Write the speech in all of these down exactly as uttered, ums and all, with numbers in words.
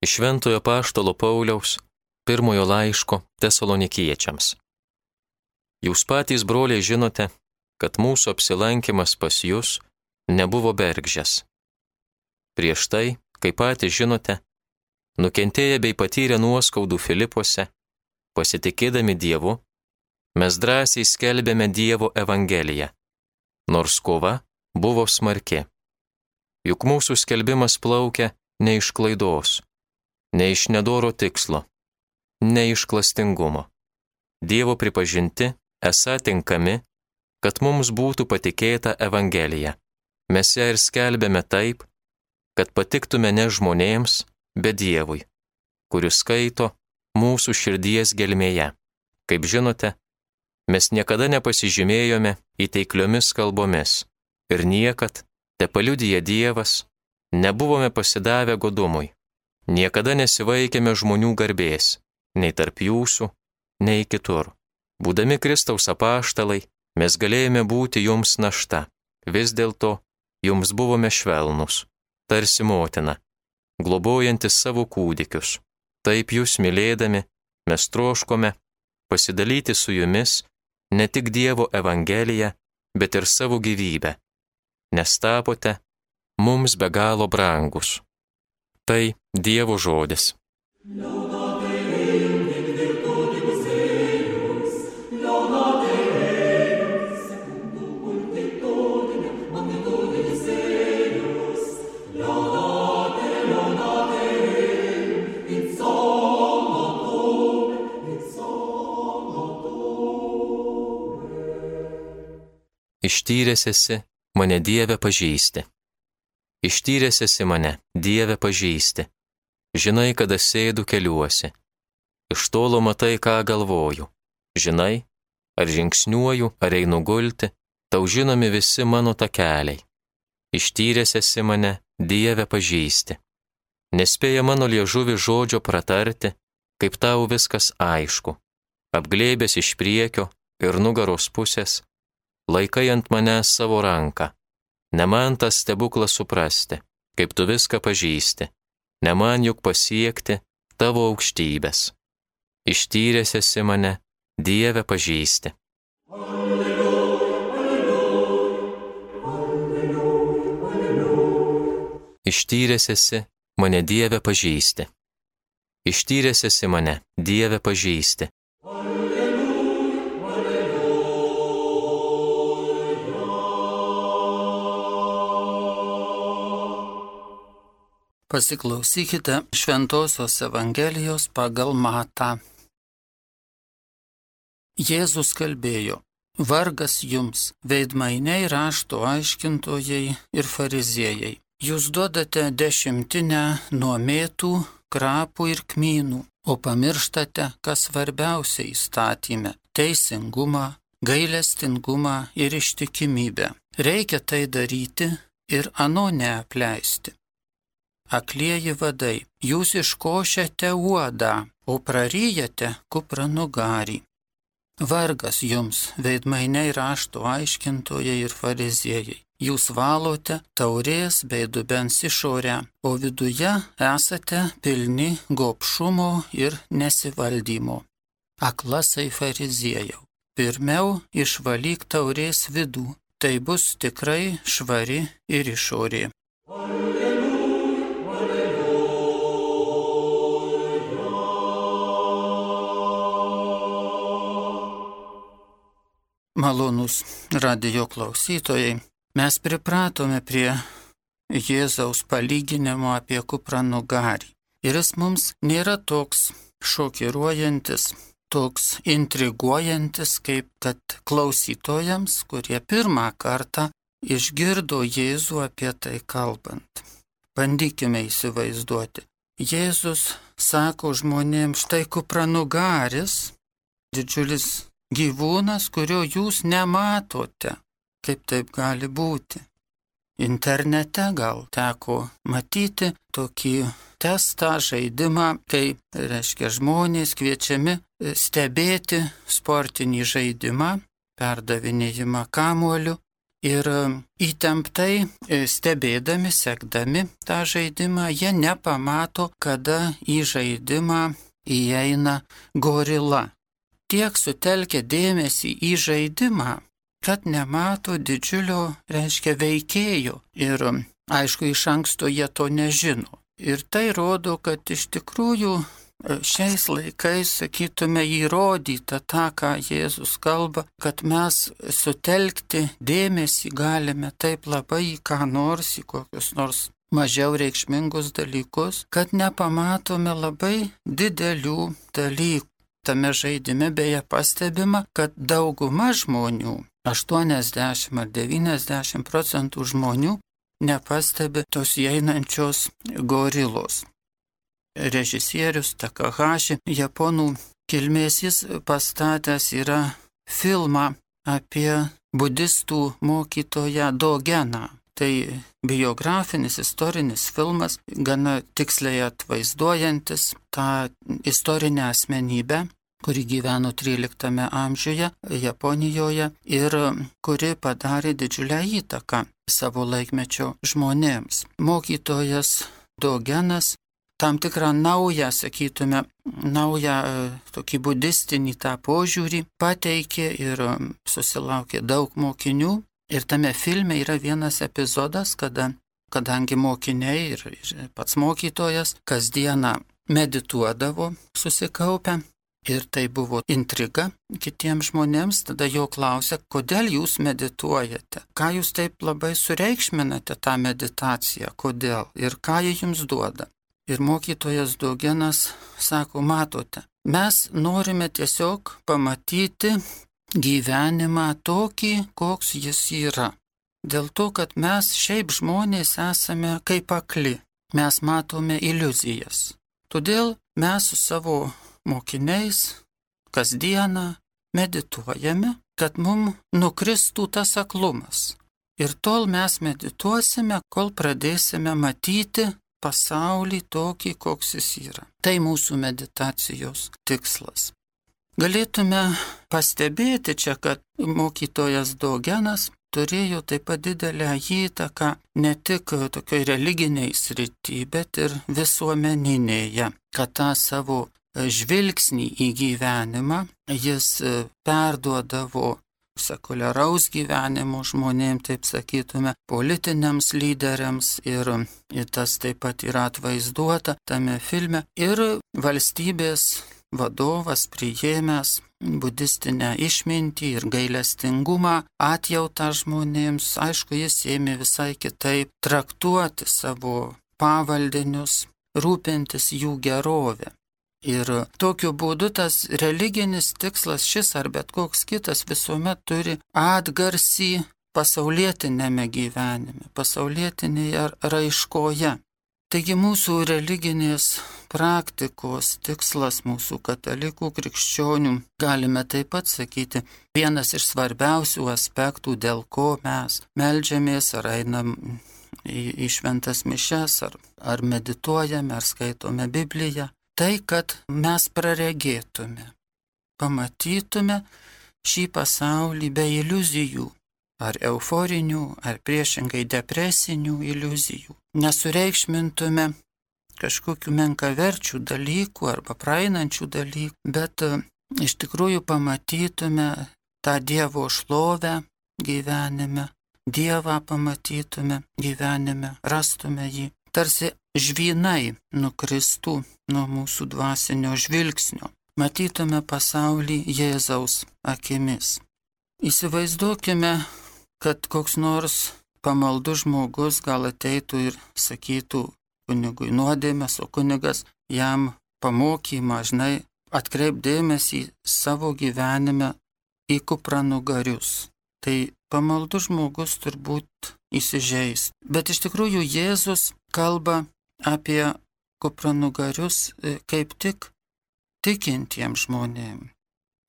Iš Šventojo Apaštalo Pauliaus pirmojo laiško Tesalonikiečiams. Jūs patys, broliai, žinote, kad mūsų apsilankimas pas jus nebuvo bergždžias. Prieš tai, kaip patys žinote, nukentėję bei patyrę nuoskaudų Filipuose, pasitikėdami Dievu, mes drąsiai skelbėme Dievo evangeliją, nors kova buvo smarki. Juk mūsų skelbimas plaukia ne iš klaidos, ne iš nedoro tikslo, ne iš klastingumo. Dievo pripažinti esą tinkami, kad mums būtų patikėta evangelija. Mes ją ir skelbėme taip, kad patiktume ne žmonėms, bet Dievui, kuris skaito mūsų širdies gelmėje. Kaip žinote, mes niekada nepasižymėjome įteikliomis kalbomis ir niekad, te paliudija Dievas, nebuvome pasidavę godumui. Niekada nesivaikėme žmonių garbės, nei tarp jūsų, nei kitur. Būdami Kristaus apaštalai, mes galėjome būti jums našta. Vis dėlto jums buvome švelnus, tarsi motina, globojantis savo kūdikius. Taip jūs mylėdami, mes troškome pasidalyti su jumis ne tik Dievo evangeliją, bet ir savo gyvybę, nes tapote mums be galo brangus. Tai Dievo žodis. Ištyręs esi mane, Dieve, pažįsti. Ištyręs esi mane, Dieve, pažįsti. Žinai, kada sėdu keliuosi. Iš tolo matai, ką galvoju. Žinai, ar žingsniuoju, ar einu gulti, tau žinomi visi mano takeliai. Ištyręs esi mane, Dieve, pažįsti. Nespėja mano liežuvi žodžio pratarti, kaip tau viskas aišku. Apglėbęs iš priekio ir nugaros pusės, laikai ant manęs savo ranką. Ne man tas stebuklas suprasti, kaip tu viską pažįsti. Ne man juk pasiekti tavo aukštybės. Ištyręs esi mane, Dieve, pažįsti. Alleluja, alleluja, alleluja, alleluja. Ištyręs esi mane, Dieve, pažįsti. Ištyręs esi mane, Dieve, pažįsti. Pasiklausykite Šventosios Evangelijos pagal Matą. Jėzus kalbėjo: Vargas jums, veidmainiai, rašto aiškintojai ir fariziejai. Jūs duodate dešimtinę nuo mėtų, krapų ir kmynų, o pamirštate, kas svarbiausia įstatyme – teisingumą, gailestingumą ir ištikimybę. Reikia tai daryti ir ano neapleisti. Aklieji vadai, jūs iškošiate uodą, o praryjate kupranugarį. Vargas jums, veidmainiai, rašto aiškintojai ir fariziejai. Jūs valote taurės bei dubens išorę, o viduje esate pilni gobšumo ir nesivaldymo. Aklasai fariziejau, pirmiau išvalyk taurės vidų, tai bus tikrai švari ir išorė. Malonūs radijo klausytojai, mes pripratome prie Jėzaus palyginimo apie kupranugarį. Ir jis mums nėra toks šokiruojantis, toks intriguojantis, kaip kad klausytojams, kurie pirmą kartą išgirdo Jėzų apie tai kalbant. Bandykime įsivaizduoti. Jėzus sako žmonėms, štai kupranugaris, didžiulis gyvūnas, kurio jūs nematote. Kaip taip gali būti? Internete gal teko matyti tokį testą, žaidimą, kai, reiškia, žmonės kviečiami stebėti sportinį žaidimą, perdavinėjimą kamuoliu Ir įtemptai stebėdami, sekdami tą žaidimą, jie nepamato, kada į žaidimą įeina gorila. Tiek sutelkia dėmesį į žaidimą, kad nemato didžiulio, reiškia, veikėjo. Ir aišku, iš anksto jie to nežino. Ir tai rodo, kad iš tikrųjų šiais laikais, sakytume, įrodyta tą, ką Jėzus kalba, kad mes sutelkti dėmesį galime taip labai į ką nors, į kokius nors mažiau reikšmingus dalykus, kad nepamatome labai didelių dalykų. Tame žaidime beje pastebima, kad dauguma žmonių, aštuoniasdešimt ar devyniasdešimt procentų žmonių, nepastebi tos įeinančios gorilos. Režisierius Takahashi, japonų kilmės, jis pastatęs yra filmą apie budistų mokytoją Dogeną. Tai biografinis, istorinis filmas, gana tiksliai atvaizduojantis tą istorinę asmenybę, kuri gyveno tryliktame amžiuje Japonijoje ir kuri padarė didžiulę įtaką savo laikmečio žmonėms. Mokytojas Dogenas tam tikrą naują, sakytume, naują tokį budistinį tą požiūrį pateikė ir susilaukė daug mokinių. Ir tame filme yra vienas epizodas, kada, kadangi mokiniai ir, ir pats mokytojas kasdieną medituodavo susikaupę, ir tai buvo intriga kitiems žmonėms, tada jo klausia, kodėl jūs medituojate, ką jūs taip labai sureikšminate tą meditaciją, kodėl ir ką jie jums duoda. Ir mokytojas Dogenas sako, matote, mes norime tiesiog pamatyti gyvenimą tokį, koks jis yra. Dėl to, kad mes šiaip žmonės esame kaip akli, mes matome iliuzijas. Todėl mes su savo mokiniais kasdieną medituojame, kad mums nukristų tas aklumas. Ir tol mes medituosime, kol pradėsime matyti pasaulį tokį, koks jis yra. Tai mūsų meditacijos tikslas. Galėtume pastebėti čia, kad mokytojas Dogenas turėjo taip pat didelę įtaką ne tik tokioj religiniai srity, bet ir visuomeninėje, kad tą savo žvilgsnį į gyvenimą jis perduodavo sekuliaraus gyvenimo žmonėms, taip sakytume, politiniams lyderiams, ir, ir tas taip pat yra atvaizduota tame filme. Ir valstybės vadovas priėmęs budistinę išmintį ir gailestingumą, atjautą žmonėms, aišku, jis ėmė visai kitaip traktuoti savo pavaldinius, rūpintis jų gerovę. Ir tokiu būdu tas religinis tikslas, šis ar bet koks kitas, visuomet turi atgarsį pasaulietinėme gyvenime, pasaulietinėje raiškoje. Taigi mūsų religinės praktikos tikslas, mūsų katalikų krikščionių, galime taip pat sakyti, vienas iš svarbiausių aspektų, dėl ko mes meldžiamės ar einam į, į šventas mišes, ar, ar medituojame, ar skaitome Bibliją. Tai, kad mes praregėtume, pamatytume šį pasaulį be iliuzijų, ar euforinių, ar priešingai depresinių iliuzijų. Nesureikšmintume kažkokių menkaverčių dalykų arba praeinančių dalykų, bet iš tikrųjų pamatytume tą Dievo šlovę gyvenime, Dievą pamatytume gyvenime, rastume jį. Tarsi žvynai nukristų nuo mūsų dvasinio žvilgsnio, matytume pasaulį Jėzaus akimis. Įsivaizduokime, kad koks nors pamaldus žmogus gal ateitų ir sakytų kunigui nuodėmės, o kunigas jam pamokymą, žinai, atkreip dėmesį savo gyvenime į kupranugarius. Tai pamaldus žmogus turbūt įsižeis. Bet iš tikrųjų Jėzus kalba apie kupranugarius kaip tik tikintiems žmonėms.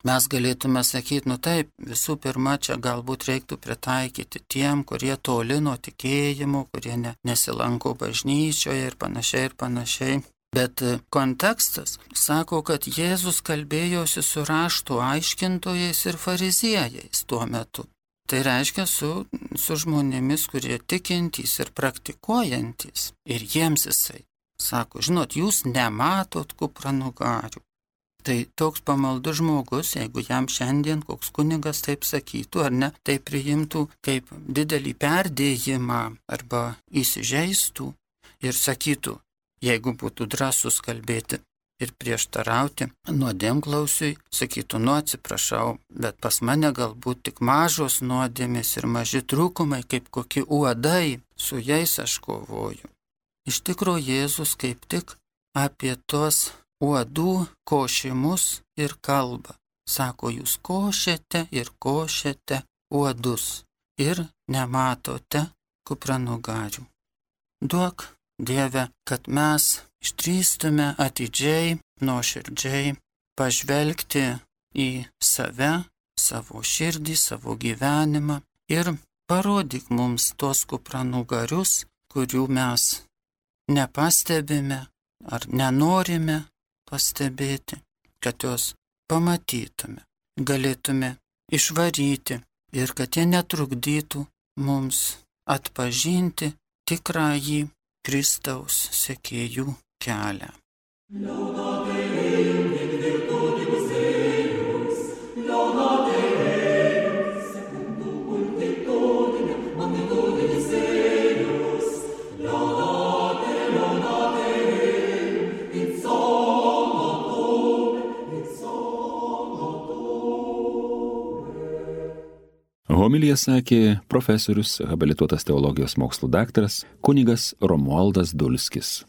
Mes galėtume sakyti, nu taip, visų pirma, čia galbūt reiktų pritaikyti tiem, kurie toli nuo tikėjimo, kurie ne, nesilanko bažnyčioje ir panašiai ir panašiai. Bet kontekstas sako, kad Jėzus kalbėjosi su rašto aiškintojais ir fariziejais tuo metu. Tai reiškia su, su žmonėmis, kurie tikintys ir praktikuojantys. Ir jiems jisai sako, žinot, jūs nematot kupranugarių. Tai toks pamaldus žmogus, jeigu jam šiandien koks kunigas taip sakytų ar ne, tai priimtų kaip didelį perdėjimą arba įsižeistų ir sakytų, jeigu būtų drąsus kalbėti ir prieštarauti nuodėmklausiui, sakytų, nu atsiprašau, bet pas mane galbūt tik mažos nuodėmės ir maži trūkumai, kaip kokie uodai, su jais aš kovoju. Iš tikrųjų, Jėzus kaip tik apie tos uodų košimus ir kalba. Sako, jūs košėte ir košėte uodus ir nematote kupranugarių. Duok, Dieve, kad mes išdrįstume atidžiai, nuoširdžiai pažvelgti į save, savo širdį, savo gyvenimą ir parodyk mums tos kupranugarius, kurių mes nepastebime ar nenorime pastebėti, kad juos pamatytume, galėtume išvaryti ir kad jie netrukdytų mums atpažinti tikrąjį Kristaus sekėjų kelią. Homiliją sakė profesorius, habilituotas teologijos mokslų daktaras kunigas Romualdas Dulskis.